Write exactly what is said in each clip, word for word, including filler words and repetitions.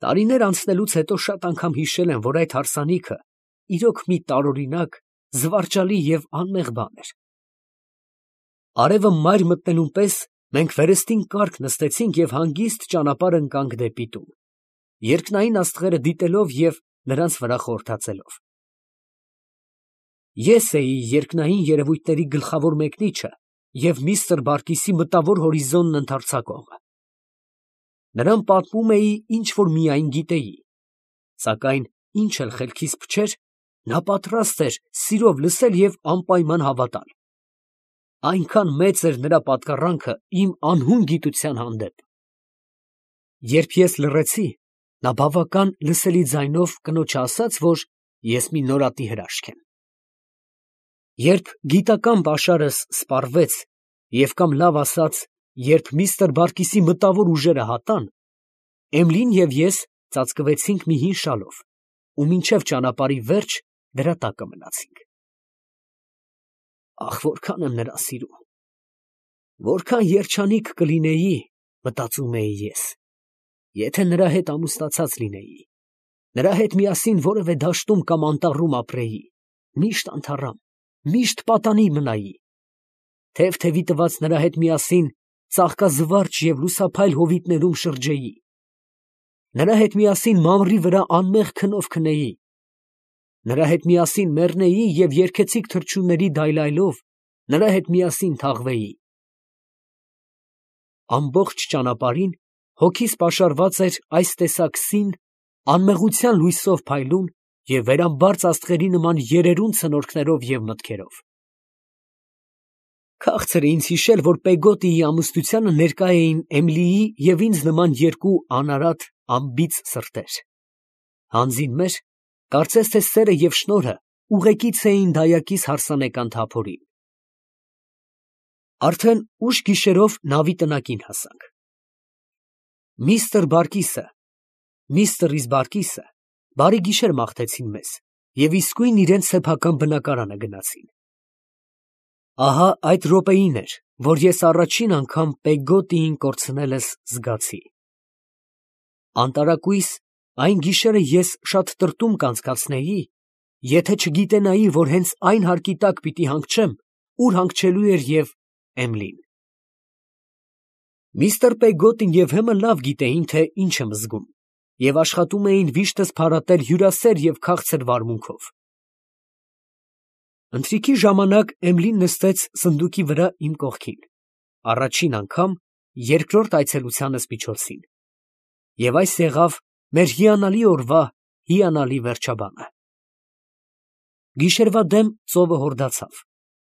Տարիներ անցնելուց հետո շատ անգամ հիշել եմ, որ այդ հարսանիքը իրոք մի տարօրինակ, զվարճալի և անմեղ բան էր։ Արևը մայր մտնելուն պես մենք վերստին կառք նստեցինք և հանգիստ ճանապարհ ընկանք դեպի տուն, երկնային աստղերը դիտելով և նրանց վրա խորհրդածելով։ Ես էի երկնային երևույթների գլխավոր մեկնիչը և միստր Բարկիսի մտավոր հորիզոնն ընդարձակողը։ Նրան պատմում էի, ինչ որ միայն գիտեի, սակայն ինչ էլ խելքիս փչեր, նա պատրաստ էր սիրով լսել և անպայման հավատալ։ Այնքան մեծ էր նրա պատկառանքը իմ անհուն գիտության հանդեպ։ Երբ ես լռեցի, նա բավական լսելի ձայնով կնոջը ասաց, որ ես մի նորատի հրաշք եմ։ Երբ գիտական պաշարս սպառվեց, և կամ լավ ասած, երբ միստր Բարկիսի մտավոր ուժերը հատան, Էմիլին և ես ծածկվեցինք մի հին շալով ու մինչև ճանապարհի վերջ դրա տակը մնացինք։ Ահ, որքան եմ նրան սիրում, որքան երջանիկ կլինեի, մտածում էի ես, եթե նրա հետ ամուսնացած լինեի, նրա հետ միասին որևէ դաշտում կամ անտառում ապրեի, միշտ անթառամ, միշտ պատանի մնայի, թև֊թևի տված նրա հետ միասին ծաղկազվարճ և լուսափայլ հովիտներում շրջեի, նրա հետ միասին մամռի վրա անմեղ քնով քնեի, նրա հետ միասին մեռնեի և երգեցիկ թռչունների դայլայլով նրա հետ միասին թաղվեի։ Ամբողջ ճանապարհին հոգիս պաշարված էր այս տեսակ սին, անմեղության լույսով փայլուն և վերամբարձ աստղերի նման երերուն ցնորքներով և մտքերով։ Քաղցր է ինձ հիշել, որ Պեգոտիի ամուսնությանը ներկա էին Էմիլիի և ինձ նման երկու անարատ, անբիծ սրտեր։ Հանձին մեր, կարծես թե սերը և շնորհը ուղեկից էին դայակիս հարսանեկան թափորին։ Արդեն ուշ գիշերով նավի տնակին հասանք։ Միստր Բարկիսը, միստր Բարկիսը բարի գիշեր մաղթեցին մեզ և իսկույն իրենց սեփական բնակարանը գնացին։ Ահա այդ րոպեին էր, որ ես առաջին անգամ Պեգոտիին կորցնելս զգացի։ Անտարակույս այն գիշերը ես շատ տրտում կանցկացնեի, եթե չգիտենայի, որ հենց այն հարկի տակ պիտի հանգչեմ, ուր հանգչելու էր և Էմիլին։ Միստր Պեգոտին և Հեմը լավ գիտեին, թե ինչ եմ զգում, և աշխատում էին վիշտս փարատել հյուրասեր և քաղցր վարմունքով։ Ընթրիքի ժամանակ Էմիլին նստեց սնդուկի վրա իմ կողքին, առաջին անգամ երկրորդ այցելությանս միջոցին, և այս եղավ մեր հիանալի օրվա հիանալի վերջաբանը։ Գիշերվա դեմ ծովը հորդացավ,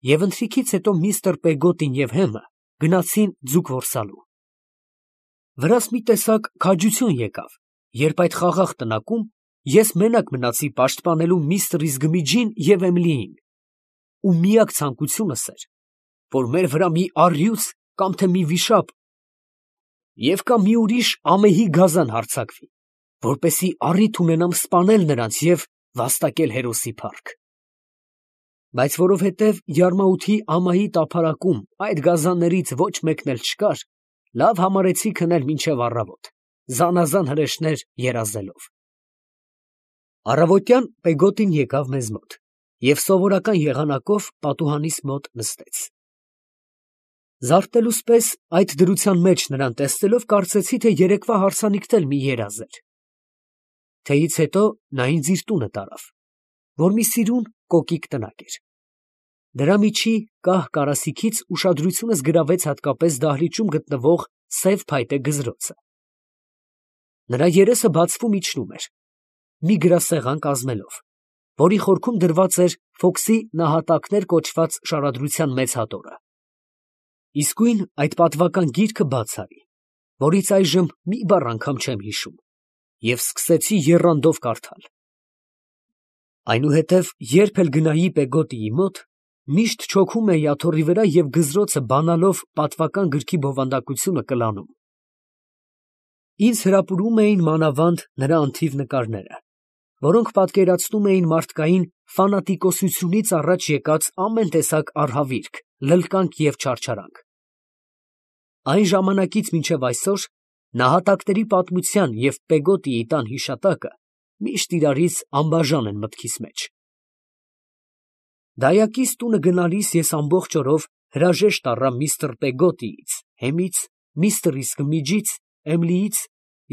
և ընթրիքից հետո միստր Պեգոտին և Հեմը գնացին ձուկ որսալու։ Վրաս մի տեսակ քաջություն եկավ, երբ այդ խաղաղ տնակում ես մենակ մնացի պաշտպանելու միստր Իզգմիջին և Էմիլիին, ու միակ ցանկությունս էր, որ մեր վրա մի առյուծ կամ թե մի վիշապ և կամ մի ուրիշ ամեհի գազան հարձակվի, որպեսզի առիթ ունենամ սպանել նրանց և վաստակել հերոսի փառք։ Բայց որովհետև յարմաութի ամայի տափարակում այդ գազաններից ոչ մեկն էլ չկար, լավ համարեցի քնել մինչև առավոտ, զանազան հրեշներ երազելով։ Առավոտյան Պեգոտին եկավ մեզ մոտ և սովորական եղանակով պատուհանիս մոտ նստեց։ Զարթնելուս պես այդ դրության մեջ նրան տեսնելով, կարծեցի, թե երեկվա հարսանիքն էլ մի երազ էր։ Թեյից հետո նա ինձ իր տունը տարավ, որ մի սիրուն կոկիկ տնակ էր։ Դրա միջի կահ կարասիքից ուշադրությունս գրավեց հատկապես դահլիճում գտնվող սև փայտե գզրոցը։ Նրա երեսը բացվում իջնում էր, մի գրասեղան կազմելով, որի խորքում դրված էր Ֆոքսի նահատակներ կոչված շարադրության մեծ հատորը։ Իսկույն այդ պատվական գիրքը բաց արի, որից այժմ մի բառ անգամ չեմ հիշում, և սկսեցի եռանդով կարդալ։ Այնուհետև երբ էլ գնայի Պեգոտիի մոտ, միշտ չոքում էի աթոռի վրա և գզրոցը բանալով պատվական գրքի բովանդակությունը կլանում։ Ինձ հրապուրում էին մանավանդ նրա անթիվ նկարները, որոնք պատկերացնում էին մարդկային ֆանատիկոսությունից առաջ եկած ամեն տեսակ արհավիրք, լլկանք և չարչարանք։ Այն ժամանակից մինչև այսօր Նահատակների պատմության և Պեգոտիի տան հիշատակը միշտ իրարից անբաժան են մտքիս մեջ։ Դայակիս տունը գնալիս ես ամբողջ օրով հրաժեշտ առա միստր Պեգոտիից, Հեմից, միստր Իսկմիջից, Էմլիից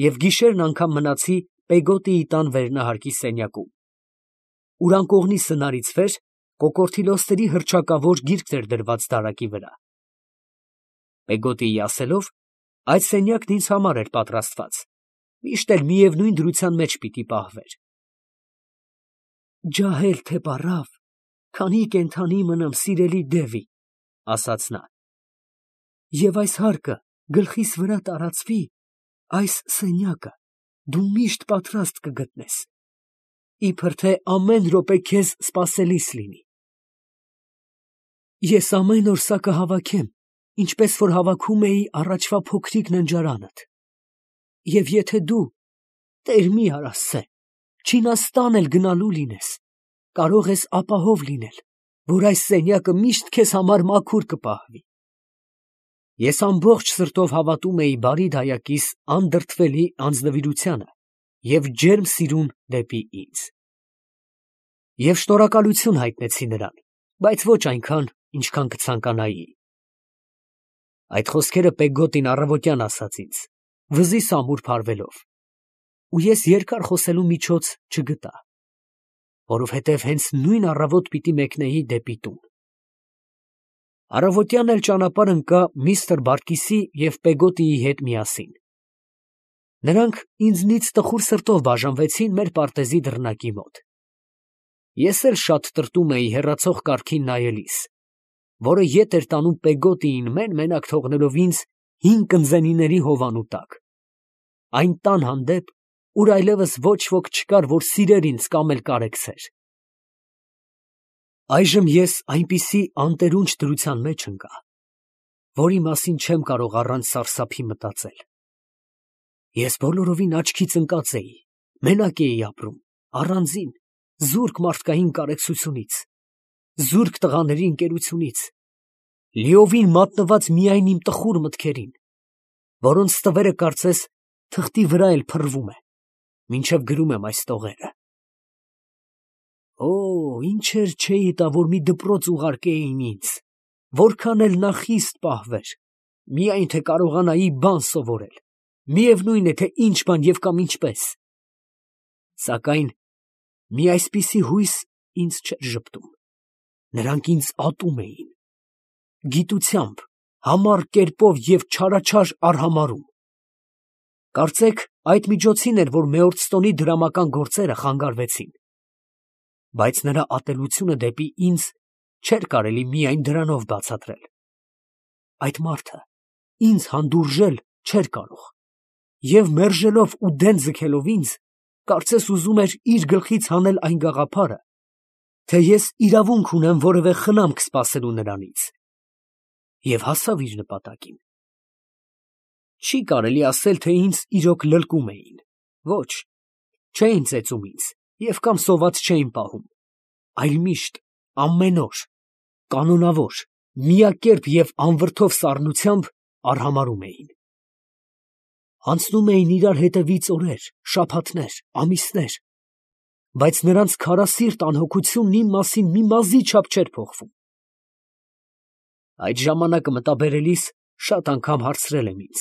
և գիշերն անգամ մնացի Պեգոտիի տան վերնահարկի սենյակում, ուր անկողնի սնարից վեր կոկորդիլոսների հռչակավոր գիրքն էր դրված դարակի վրա։ Պեգոտիի ասելով, այդ սենյակն ինձ համար էր պատրաստված, միշտ էլ միևնույն դրության մեջ պիտի պահվեր։ «Ջահել թե պառավ, քանի կենդանի մնամ, սիրելի Դևի, ֊ ասաց նա, ֊ և այս հարկը գլխիս վրա տարածվի, այս սենյակը դու միշտ պատրաստ կգտնես, իբր թե ամեն րոպե քեզ սպասելիս լինի։ Ես ամեն օր սա կհավաքեմ, ինչպես որ հավաքում էի առաջվա փոքրիկ ննջարանդ, և եթե դու, Տեր մի արա սե, Չինաստան էլ գնալու լինես, կարող ես ապահով լինել, որ այս սենյակը միշտ քեզ համար մաքուր կպահվի»։ Ես ամբողջ սրտով հավատում էի բարի դայակիս անդրդվելի անձնվիրությանը և ջերմ սիրուն դեպի ինձ։ Եվ շնորհակալություն հայտնեցի նրան, բայց ոչ այնքան, ինչքան կցանկանայի։ Այդ խոսքերը Պեգոտին առավոտյան ասաց ինձ, վզիս ամուր փարվելով, ու ես երկար խոսելու միջոց չգտա, որովհետև հենց նույն առավոտ պիտի մեկնեի դեպի տուն։ Առավոտյան էլ ճանապարհ ընկա միստր Բարկիսի և Պեգոտիի հետ միասին։ Նրանք ինձնից տխուր սրտով բաժանվեցին մեր պարտեզի դռնակի մոտ։ Ես էլ շատ տրտում էի հեռացող կառքին նայելիս, որը ետ էր տանում Պեգոտիին մեն֊մենակ թողնելով ինձ հին կնզենիների հովանու տակ, այն տան հանդեպ, ուր այլևս ոչ ոք չկար, որ սիրեր ինձ կամ էլ կարեկցեր։ Այժմ ես այնպիսի անտերունջ դրության մեջ ընկա, որի մասին չեմ կարող առանց սարսափի մտածել։ Ես բոլորովին աչքից ընկած էի, մենակ էի ապրում, առանձին, զուրկ մարդկային կարեկցությունից, զուրկ տղաների ընկերությունից, լիովին մատնված միայն իմ տխուր մտքերին, որոնց ստվերը կարծես թղթի վրա էլ փռվում է, մինչև գրում եմ այս տողերը։ Օ, ինչեր չէի տա, որ մի դպրոց ուղարկեին ինձ, որքան էլ նա խիստ պահվեր, միայն թե կարողանայի բան սովորել, միևնույն է, թե ինչ բան և կամ ինչպես։ Սակայն մի այսպիսի հույս ինձ չէր ժպտում, նրանք ինձ ատում էին, գիտությամբ, համառ կերպով և չարաչար արհամարհում։ Կարծեք այդ միջոցին էր, որ Մեծորստոնի դրամական գործերը խանգարվեցին, բայց նրա ատելությունը դեպի ինձ չէր կարելի միայն դրանով բացատրել։ Այդ մարդը ինձ հանդուրժել չէր կարող, և մերժելով ու դեն ձգելով ինձ, կարծես ուզում էր իր գլխից հանել այն գաղափարը, թե ես իրավունք ունեմ որևէ խնամք սպասելու նրանից, և հասավ իր նպատակին։ Չի կարելի ասել, թե ինձ իրոք լլկում էին, ոչ, չէին ծեծում ինձ և կամ սոված չէին պահում, այլ միշտ, ամեն օր, կանոնավոր, միակերպ և անվրդով սառնությամբ արհամարհում էին։ Անցնում էին իրար հետևից օրեր, շաբաթներ, ամիսներ, բայց նրանց քարասիրտ անհոգությունն իմ մասին մի մազի չափ չէր փոխվում։ Այդ ժամանակը մտաբերելիս շատ անգամ հարցրել եմ ինձ.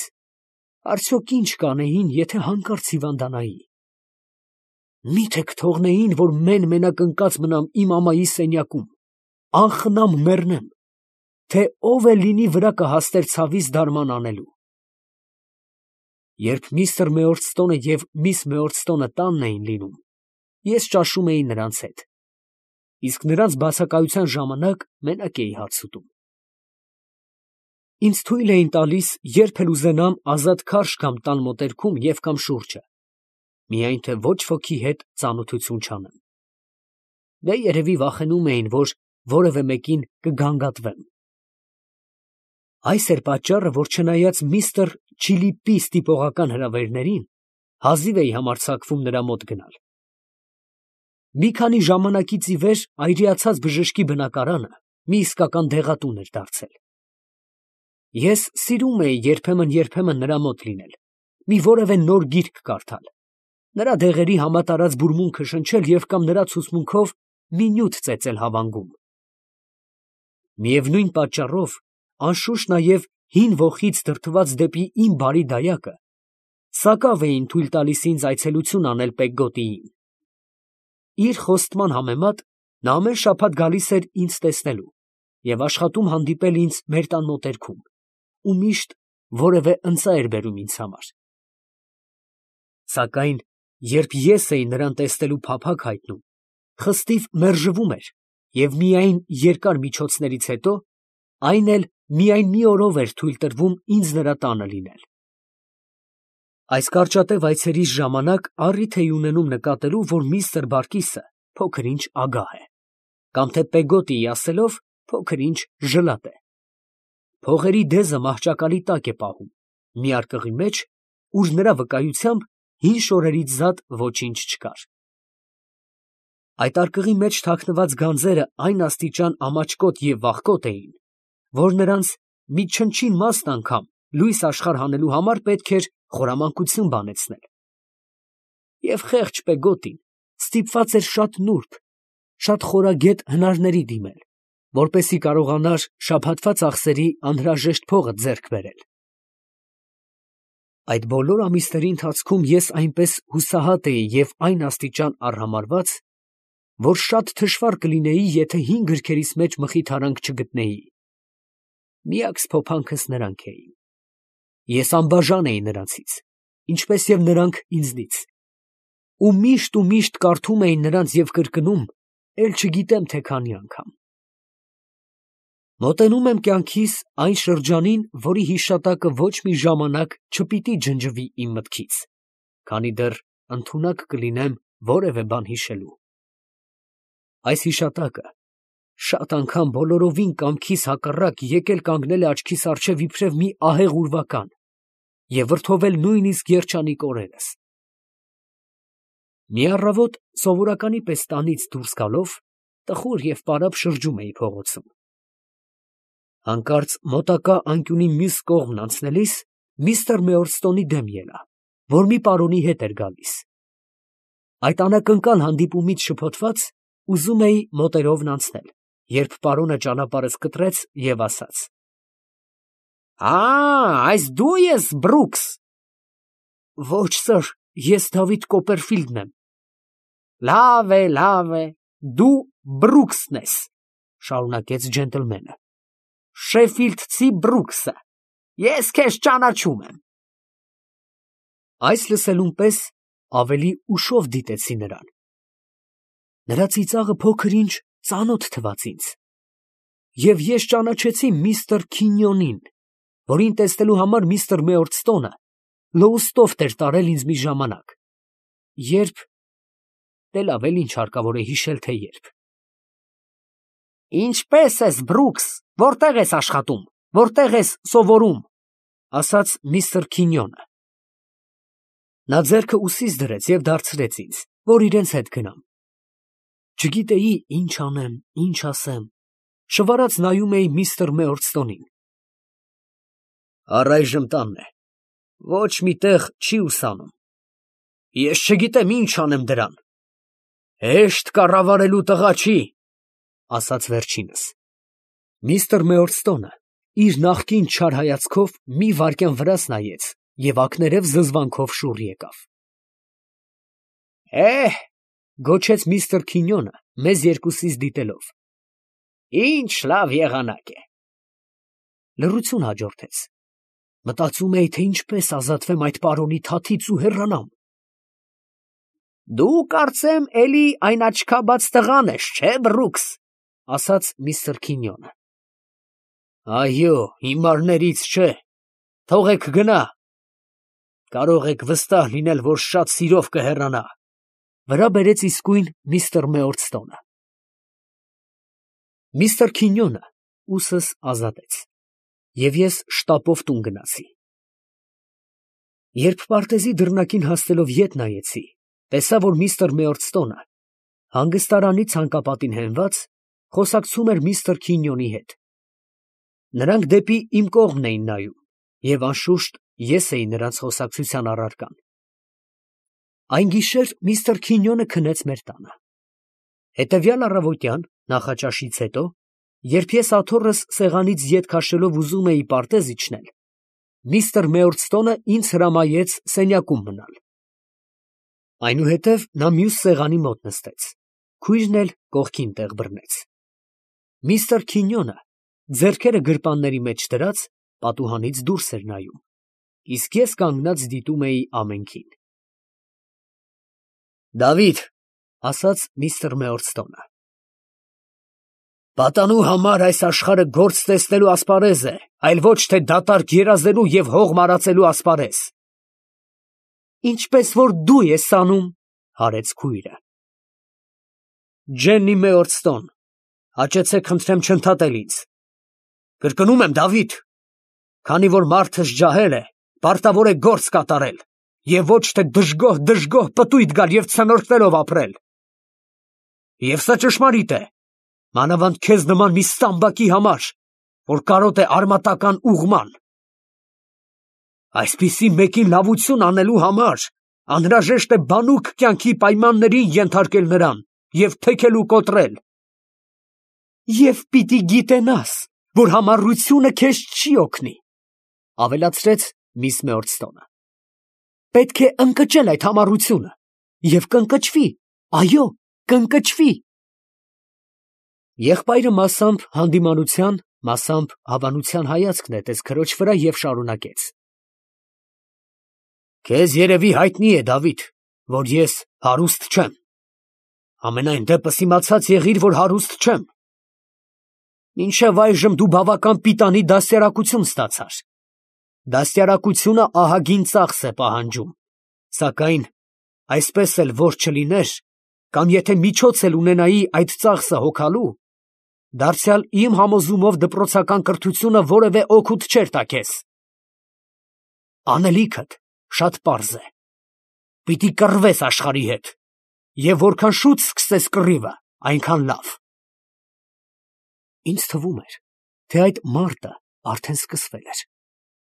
արդյոք ինչ կանեին, եթե հանկարծ հիվանդանայի։ Մի՞թե կթողնեին, որ մեն֊մենակ ընկած մնամ իմ ամայի սենյակում, անխնամ մեռնեմ, թե ով էլ լինի վրա կհասներ ցավից դարման անելու։ Երբ միստր Մեծորստոնը և միս Մեծորստոնը տանն էին լինում, ես ճաշում էի նրանց հետ, իսկ նրանց բացակայության ժամանակ մենակ էի հաց ուտում։ Ինձ թույլ էին տալիս երբ էլ ուզենամ ազատ քարշ գամ տան մոտերքում և կամ շուրջը, միայն թե ոչ ոքի հետ ծանոթություն չանեմ։ Դե երևի վախենում էին, որ որևէ մեկին կգանգատվեմ։ Այս էր պատճառը, որ չնայած միստր Չիլիպի ստիպողական հրավերներին, հազիվ էի համարձակվում նրա մոտ գնալ։ Մի քանի ժամանակից ի վեր այրիացած բժշկի բնակարանը մի իսկական դեղատուն էր դարձել։ Ես սիրում էի երբեմն֊երբեմն նրա մոտ լինել, մի որևէ նոր գիրք կարդալ, նրա դեղերի համատարած բուրմունքը շնչել և կամ նրա ցուսմունքով մի նյութ ծեծել հավանգում։ Միևնույն պատճառով, անշուշտ նաև հին ոխից դրդված դեպի իմ բարի դայակը, սակավ էին թույլ տալիս ինձ այցելություն անել Պեգգոտիին։ Իր խոստման համեմատ նա ամեն շաբաթ գալիս էր ինձ տեսնելու և աշխատում հանդիպել ինձ մեր տան մոտերքում ու միշտ որևէ ընծա էր բերում ինձ համար։ Սակայն երբ ես էի նրան տեսնելու փափագ հայտնում, խստիվ մերժվում էր և միայն երկար միջոցներից հետո, այն էլ միայն մի օրով էր թույլ տրվում ինձ նրա տանը լինել։ Այս կարճատև այցերիս ժամանակ առիթ էի ունենում նկատելու, որ միստր Բարկիսը փոքր-ինչ ագահ է, կամ թե Պեգոտիի ասելով, փոքր-ինչ ժլատ է։ Փողերի դեզը մահճակալի տակ է պահում, մի արկղի մեջ, ուր նրա վկայությամբ հին շորերից զատ ոչինչ չկար։ Այդ արկղի մեջ թաքնված գանձերը այն աստիճան ամաչկոտ և վախկոտ էին, որ նրանց մի չնչին մասն անգամ լույս աշխարհ հանելու համար պետք էր խորամանկություն բանեցնել։ Եվ խեղճ Պեգոտին ստիպված էր շատ նուրբ, շատ խորագետ հնարների դիմել, որպեսզի կարողանար շաբաթվա ծախսերի անհրաժեշտ փողը ձեռք բերել։ Այդ բոլոր ամիսների ընթացքում ես այնպես հուսահատ էի և այն աստիճան արհամարհված, որ շատ թշվառ կլինեի, եթե հին գրքերիս մեջ մխիթարանք չգտնեի։ Միակ սփոփանքս նրանք էին։ Ես անբաժան էի նրանցից, ինչպես և նրանք ինձնից, ու միշտ ու միշտ կարդում էի նրանց և կրկնում, էլ չգիտեմ թե քանի անգամ։ Մոտենում եմ կյանքիս այն շրջանին, որի հիշատակը ոչ մի ժամանակ չպիտի ջնջվի իմ մտքից, քանի դեռ ընդունակ կլինեմ որևէ բան հիշելու։ Այս հիշատակը շատ անգամ բոլորովին կամքիս հակառակ եկել կանգնել է աչքիս առջև իբրև մի ահեղ ուրվական և վրդովել նույնիսկ երջանիկ օրերս։ Մի առավոտ սովորականի պես տանից դուրս գալով, տխուր և պարապ շրջում էի փողոցում։ Հանկարծ մոտակա անկյունի մյուս կողմն անցնելիս միստր Մեորսթոնի դեմ ելա, որ մի պարոնի հետ էր գալիս։ Այդ անակնկալ հանդիպումից շփոթված, ուզում էի մոտերովն անցնել, երբ պարոնը ճանապարհս կտրեց և ասաց. «Ա, այս դու ես, Բրուքս»։ «Ոչ, սըր, ես Դավիթ Կոպերֆիլդն եմ»։ «Լավ է, լավ է, դու Բրուքսն ես», շարունակեց ջենտլմենը, «Շեֆիլդցի Բրուքսը, ես քեզ ճանաչում եմ»։ Այս լսելուն պես ավելի ուշով դիտեցի նրան։ Նրա ծիծաղը փոքր-ինչ ծանոթ թվաց ինձ, և ես ճանաչեցի միստր Քինյոնին, որին տեսնելու համար միստր Մեորսթոնը Լոուստոֆթ էր տարել ինձ մի ժամանակ, երբ… դե լավ էլ ինչ հարկավոր է հիշել, թե երբ։ «Ինչպե՞ս ես, Բրուքս, որտե՞ղ ես աշխատում, որտե՞ղ ես սովորում», ասաց միստր Քինյոնը։ Նա ձեռքը ուսիս դրեց և դարձրեց ինձ, որ իրենց հետ գնամ։ Չգիտեի ինչ անեմ, ինչ ասեմ, շվարած նայում էի միստր Մեորսթոնին։ «Առայժմ տանն է, ոչ մի տեղ չի ուսանում։ Ես չգիտեմ ինչ անեմ դրան։ Հեշտ կառավարելու տղա չի», ասաց վերջինս։ Միստր Մեորսթոնը իր նախկին չար հայացքով մի վայրկյան վրաս նայեց և ակներև զզվանքով շուռ եկավ։ «Է՜հ», գոչեց միստր Քինյոնը մեզ երկուսիս դիտելով, «ինչ լավ եղանակ է»։ Լռություն հաջորդեց։ Մտածում էի, թե ինչպես ազատվեմ այդ պարոնի թաթից ու հեռանամ։ «Դու կարծեմ էլի այն աչքաբաց տղան ես, չէ՞, Բրուքս», ասաց միստր Քինյոնը։ «Այո, հիմարներից չէ, թողեք գնա, կարող եք վստահ լինել, որ շատ սիրով կհեռանա», վրա բերեց իսկույն միստր Մեորսթոնը։ Միստր Քինյոնը ուսս ազատեց, և ես շտապով տուն գնացի։ Երբ պարտեզի դռնակին հասնելով ետ նայեցի, տեսա, որ միստր Մեորսթոնը, հանգստարանի ցանկապատին հենված, խոսակցում էր միստր Քինյոնի հետ։ Նրանք դեպի իմ կողմն էին նայում, և անշուշտ Ես էի նրանց խոսակցության առարկան։ Այն գիշեր միստր Քինյոնը քնեց մեր տանը։ Հետևյալ առավոտյան, նախաճաշից հետո, երբ ես աթոռս սեղանից ետ քաշելով ուզում էի պարտեզ իջնել, միստր Մեյորստոնը ինձ հրամայեց սենյակում մնալ։ Այնուհետև նա մյուս սեղանի մոտ նստեց, քույրն էլ կողքին տեղ բռնեց։ Միստր Քինյոնը, ձեռքերը գրպանների մեջ դրած, պատուհանից դուրս էր նայում, իսկ ես կանգնած դիտում էի ամենքին։ «Դավիթ», ֊ ասաց միստր Մեյորստոնը, «պատանու համար այս աշխարհը գործ տեսնելու ասպարեզ է, այլ ոչ թե դատարկ երազելու և հող մարածելու ասպարեզ»։ «Ինչպես որ դու ես անում», ֊ հարեց քույրը։ «Ջեննի Մեյորստոն, հաճեցեք խնդրեմ չընդհատել ինձ։ Կրկնում եմ, Դավիթ, քանի որ մարդս ջահել է, պարտավոր է գործ կատարել և ոչ թե դժգոհ֊դժգոհ պտույտ գալ և ցնորքներով ապրել։ Եվ սա ճշմարիտ է, մանավանդ քեզ նման մի ստամբակի համար, որ կարոտ է արմատական ուղղման։ Այսպիսի մեկին լավություն անելու համար անհրաժեշտ է բանուկ կյանքի պայմաններին ենթարկել նրան և թեքել ու կոտրել։ Եվ պիտի գիտենաս, որ համառությունը քեզ չի օգնի, ֊ ավելացրեց միս Մեյորստոնը։ Պետք է ընկճել այդ համառությունը և կընկճվի, այո, կընկճվի։ Եղբայրը մասամբ հանդիմանության, մասամբ հավանության հայացք նետեց քրոջ վրա և շարունակեց. Քեզ երևի հայտնի է, Դավիթ, որ ես հարուստ չեմ։ Համենայն դեպս իմացած եղիր, որ հարուստ չեմ։ Մինչև այժմ դու բավական պիտանի դաստիարակություն ստացար։ Դաստիարակությունը ահագին ծախս է պահանջում, սակայն այսպես էլ որ չլիներ, կամ եթե միջոց էլ ունենայի այդ ծախսը հոգալու, դարձյալ իմ համոզումով դպրոցական կրթությունը որևէ օգուտ չէր տա քեզ։ Անելիքդ շատ պարզ է. պիտի կռվես աշխարհի հետ, և որքան շուտ սկսես կռիվը, այնքան լավ։ Ինձ թվում էր, թե այդ մարտը արդեն սկսվել էր,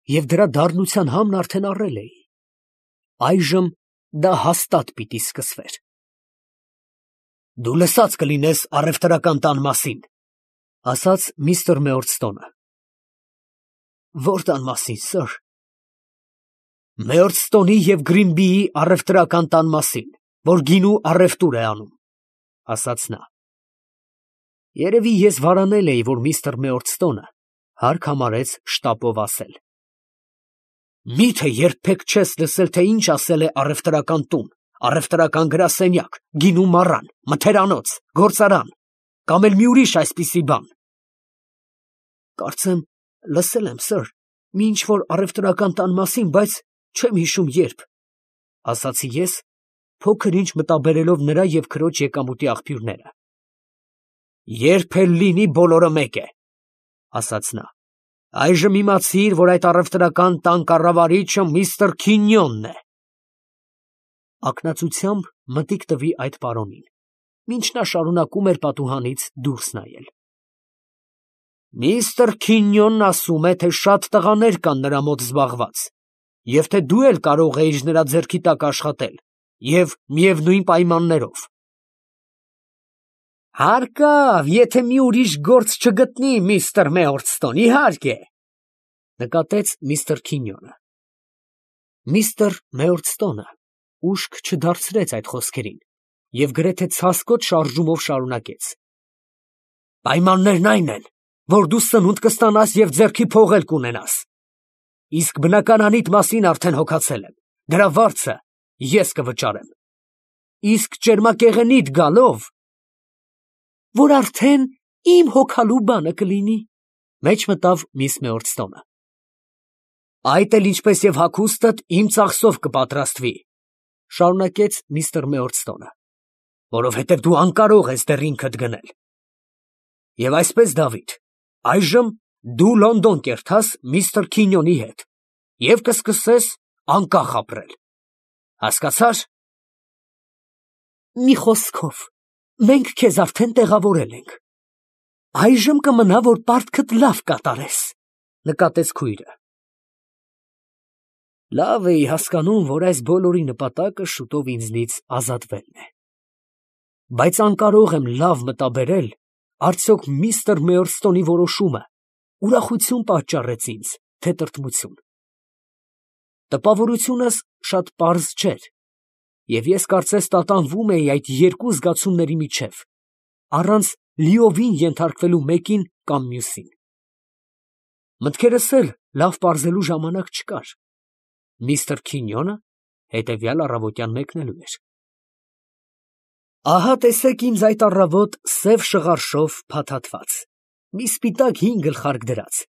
և դրա դառնության համն արդեն առել էի։ Այժմ դա հաստատ պիտի սկսվեր։ Դու լսած կլինես առևտրական տան մասին, ֊ ասաց միստր Մեյորստոնը։ Ո՞ր տան մասին, սըր։ Մեյորստոնի և Գրինբիի առևտրական տան մասին, որ գինու առևտուր է անում, ֊ ասաց նա։ Երևի ես վարանել էի, որ միստր Մեյորստոնը հարկ համարեց շտապով ասել. Մի՞թե երբեք չես լսել, թե ինչ ասել է առևտրական տուն, առևտրական գրասենյակ, գինու մառան, մթերանոց, գործարան, կամ էլ մի ուրիշ այսպիսի բան։ Կարծեմ լսել եմ, սըր, մի ինչ֊որ առևտրական տան մասին, բայց չեմ հիշում երբ, ֊ ասացի ես, փոքր ինչ մտաբերելով նրա և քրոջ եկամուտի աղբյուրները։ Երբ էլ լինի, բոլորը մեկ է, ֊ ասաց նա։ Այժմ իմացիր, որ այդ առևտրական տան կառավարիչը միստր Քինյոնն է։ Ակնածությամբ մտիկ տվի այդ պարոնին, մինչ նա շարունակում էր պատուհանից դուրս նայել։ Միստր Քինյոնն ասում է, թե շատ տղաներ կան նրա մոտ զբաղված, և թե դու էլ կարող էիր նրա ձեռքի տակ աշխատել, և միևնույն պայմաններով։ Հարկավ, եթե մի ուրիշ գործ չգտնի, միստր Մեյորստոն, իհարկե, ֊ նկատեց միստր Քինյոնը։ Միստր Մեյորստոնը ուշք չդարձրեց այդ խոսքերին և գրեթե ցասկոտ շարժումով շարունակեց. Պայմաններն այն են, որ դու սնունդ կստանաս և ձեռքի փող էլ կունենաս։ Իսկ բնականանիդ մասին արդեն հոգացել եմ, դրա վարձը ես կվճարեմ։ Իսկ ճերմակեղենիդ գալով… որ արդեն իմ հոգալու բանը կլինի, ֊ մեջ մտավ միս Մեյորստոնը։ Այդ էլ ինչպես և հագուստդ իմ ծախսով կպատրաստվի, ֊ շարունակեց միստր Մեյորստոնը, որովհետև դու անկարող ես դեռ ինքդ գնել։ Եվ այսպես, Դավիթ, այժմ դու Լոնդոն կերտաս միստր Քինյոնի հետ և կսկսես անկախ ապրել, հասկացա՞ր։ Մի խոսքով, մենք քեզ արդեն տեղավորել ենք։ Այժմ կմնա, որ պարտքդ լավ կատարես, ֊ նկատեց քույրը։ Լավ էի հասկանում, որ այս բոլորի նպատակը շուտով ինձնից ազատվելն է։ Բայց անկարող եմ լավ մտաբերել, արդյոք միստր Մեյորստոնի որոշումը ուրախություն պատճառեց ինձ, թե տրտմություն։ Տպավորությունս շատ պարզ չէր, և ես կարծես տատանվում էի այդ երկու զգացումների միջև, առանց լիովին ենթարկվելու մեկին կամ մյուսին։ Մտքերս էլ լավ պարզելու ժամանակ չկար. միստր Քինյոնը հետևյալ առավոտյան մեկնելու էր։ Ահա տեսեք ինձ այդ առավոտ սև շղարշով փաթաթված, մի սպիտակ հին գլխարկ դրած,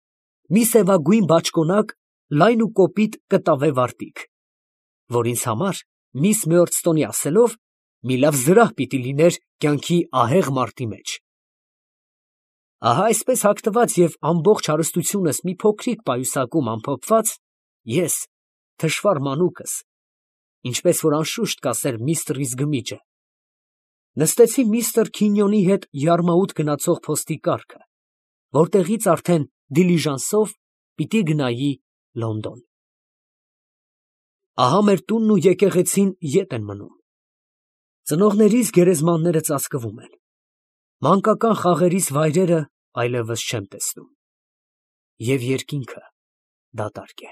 մի սևագույն բաճկոնակ, լայն ու կոպիտ կտավե վարտիք, որ ինձ համար, միս Մեյորստոնի ասելով, մի լավ զրահ պիտի լիներ կյանքի ահեղ մարտի մեջ։ Ահա այսպես հագնված և ամբողջ հարստությունս մի փոքրիկ պայուսակում ամփոփված, ես, թշվառ մանուկս, ինչպես որ անշուշտ կասեր միստր Իզգմիջը, նստեցի միստր Քինյոնի հետ յարմաուտ գնացող փոստի կառքը, որտեղից արդեն դիլիժանսով պիտի գնայի Լոնդոն։ Ահա մեր տունն ու եկեղեցին ետ են մնում։ Ծնողներիս գերեզմանները ծածկվում են, մանկական խաղերիս վայրերը այլևս չեմ տեսնում, և երկինքը դատարկ է։